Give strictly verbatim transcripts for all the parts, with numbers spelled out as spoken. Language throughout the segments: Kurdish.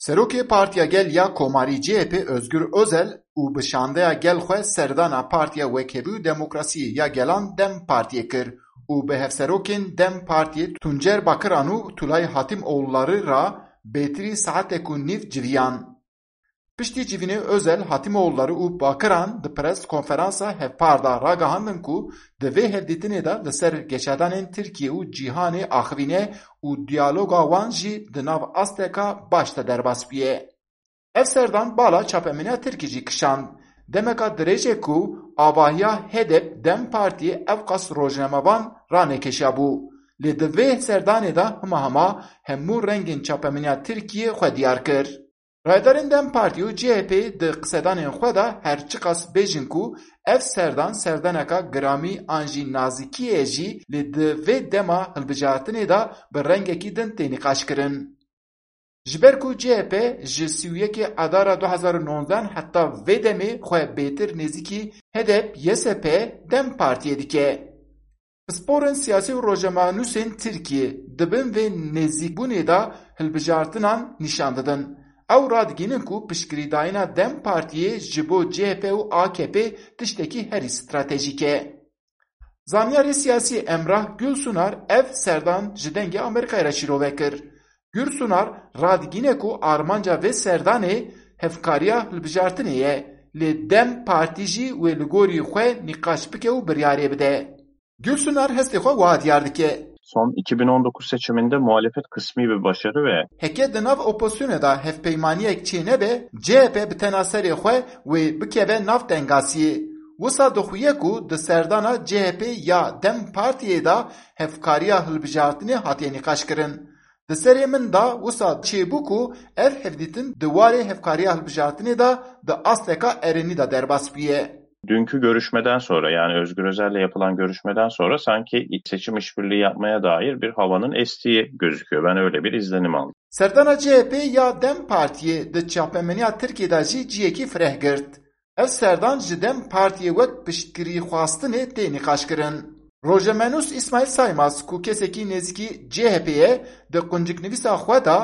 Serokê Partiya Gel ya Komarî C H P Özgür Özel û bi şandeya gel xwe serdana Partiya Wekhevî û Demokrasiyê ya Gelan DEM Partiyê kir û bi hevserokên DEM Partiyê Tuncer Bakiran û Tulay Hatimoğulları ra bêtirî saetek û nîv civiyan. Piştî civînê Özel, Hatimoğulları û Bakiran di pres konferansa hevpar de ragihandin ku di vê hevdîtinê de li ser geşedanên Tirkiye û cîhanê axivîne û diyaloga wan jî di nav asteka baş de derbas bûye. Ev serdan bala çapemeniya Tirkî jî kişand. Demeka dirêj e ku avahiya HDP DEM Partiyê ewqas rojnamevan ranekêşiyabû. Lê di vê serdanê de hima hima hemû rengên çapemeniya Tirkiyê xwe diyar kir. Rayedarên DEM Partî û C H P di qisedanên xwe de her çiqas bêjin ku ev serdan serdaneka giramî an jî nazîkî ye jî, lê di vê dema hilbijartinê de bi rengekî din tê nîqaşkirin. Ji ber ku C H P ji sî û yekê Adara du hezar û nonzeh heta vê demê xwe bêtir nêzîkî HDP, YSP, DEM Partiyê dike. Pisporên siyasî û rojnamanûsên Tirkiyê di bin vê nêzîkbûnê de hilbijartinan nîşan didin. Ew radigihînin ku piştgirîdayîna DEM Partiyê ji bo C H P û A K P tiştekî herî stratejîk e. Zanyarê siyasî Emrah Gülsunar ev serdan ji Dengê Amerîkayê re şîrove kir. Gülsunar radigihîne ku armanca vê serdanê hevkariya hilbijartinê ye, lê DEM Partî jî wê li gorî xwe nîqaş bike û biryarê bide. Gülsunar hestê xwe wiha diyar dike. Son iki bin on dokuz seçiminde muhalefet kısmi bir başarı ve Heke di nav opozisyonê de hevpeymaniyek çênebe, C H P bi tena serê xwe wê bikeve nav tengasiyê. Wisa dixuye ku di serdana C H P ya DEM Partiyê de hevkariya hilbijartinê hatiye nîqaşkirin. Di serê min de wisa çêbû ku ev hevdîtin di warê hevkariya hilbijartinê de di asteka erênî de derbas bûye. Dünkü görüşmeden sonra, yani Özgür Özel'le yapılan görüşmeden sonra sanki seçim işbirliği yapmaya dair bir havanın estiği gözüküyor. Ben öyle bir izlenim aldım. Serdana C H P ya DEM Partiyê di çapemeniya Tirkiyê de jî ciyekî fireh girt. Ev serdan ji DEM Partiyê wek piştgirîxwastinê tê nîqaşkirin. Rojnamenûs Îsmaîl Saymaz, ku kesekî nêzîkî C H P ye, di qunciknivîsa xwe de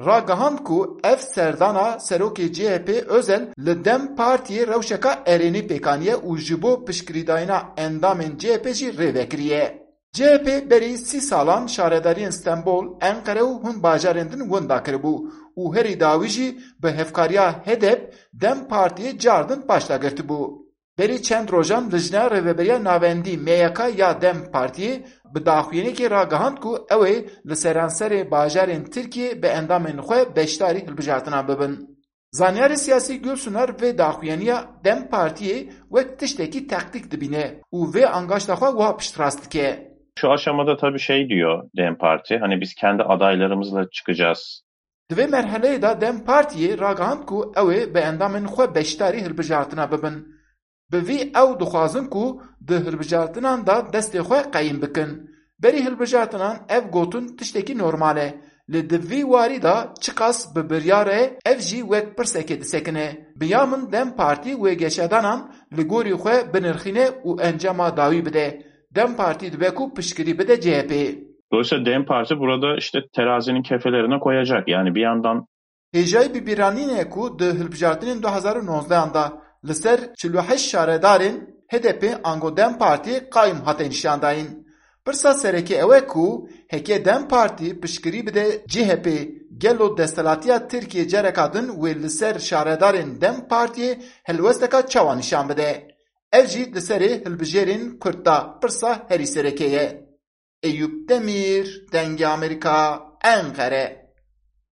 ragihand ku ev serdana serokê C H P Özel li DEM Partiyê rewşeka erênî pêk aniye û ji bo piştgirîdayîna endamên C H P jî rê vekiriye. C H P berî sî salan şaredariyên Stenbol, Enqere û hin bajarên din winda kiribû û herî dawî jî bi hevkariya HDP DEM Partiyê cardin paşda girtibû. Berî çend rojan Lijneya Rêveberiya Navendî, M Y K, ya DEM Partiyê bi daxuyaniyekê ragihand ku ew ê li seranserê bajarên Tirkiyê bi endamên xwe beşdarî hilbijartinan bibin. Zanyarê siyasî Gülsunar vê daxuyaniya DEM Partiyê wek tiştekî taktîk dibîne û vê angaşta xwe wiha piştrast dike. Şu aşamada tabii şey diyor DEM Parti, hani biz kendi adaylarımızla çıkacağız. Di vê merheleyê de DEM Partiyê ragihand ku ew ê bi endamên xwe beşdarî hilbijartina bibin. Bi vî ew dixwazin ku di hilbijartinan de destê xwe qeyîm bikin. Berî hilbijartinan ev gotin tiştekî normal e. Lê di vî warî de çiqas bi biryar e, ev jî wek pirsekê disekine. Bi ya min DEM Partî wê geşedanan li gorî xwe binirxîne û encama dawî bide. DEM Partî dibe ku piştgirî bide C H P. Dolayısıyla DEM Parti burada işte terazinin kefelerine koyacak. Yani bir yandan Hêjayî bibîranînê ku di hilbijartinên du hezar û nozdehan de li ser çil û heşt şaredarên HDP ango DEM Partiyê qayîm hate nîşandayîn. Pirsa sereke ew e ku heke DEM Partî piştgirî bide C H P, gelo desthilatiya Tirkiyê careka din wê li ser şaredarên DEM Partiyê helwesteka çawa nîşan bide? Ev jî di serê hilbijêrên Kurd de pirsa herî sereke ye. Eyûp Demîr, Dengê Amerîka, Enqere.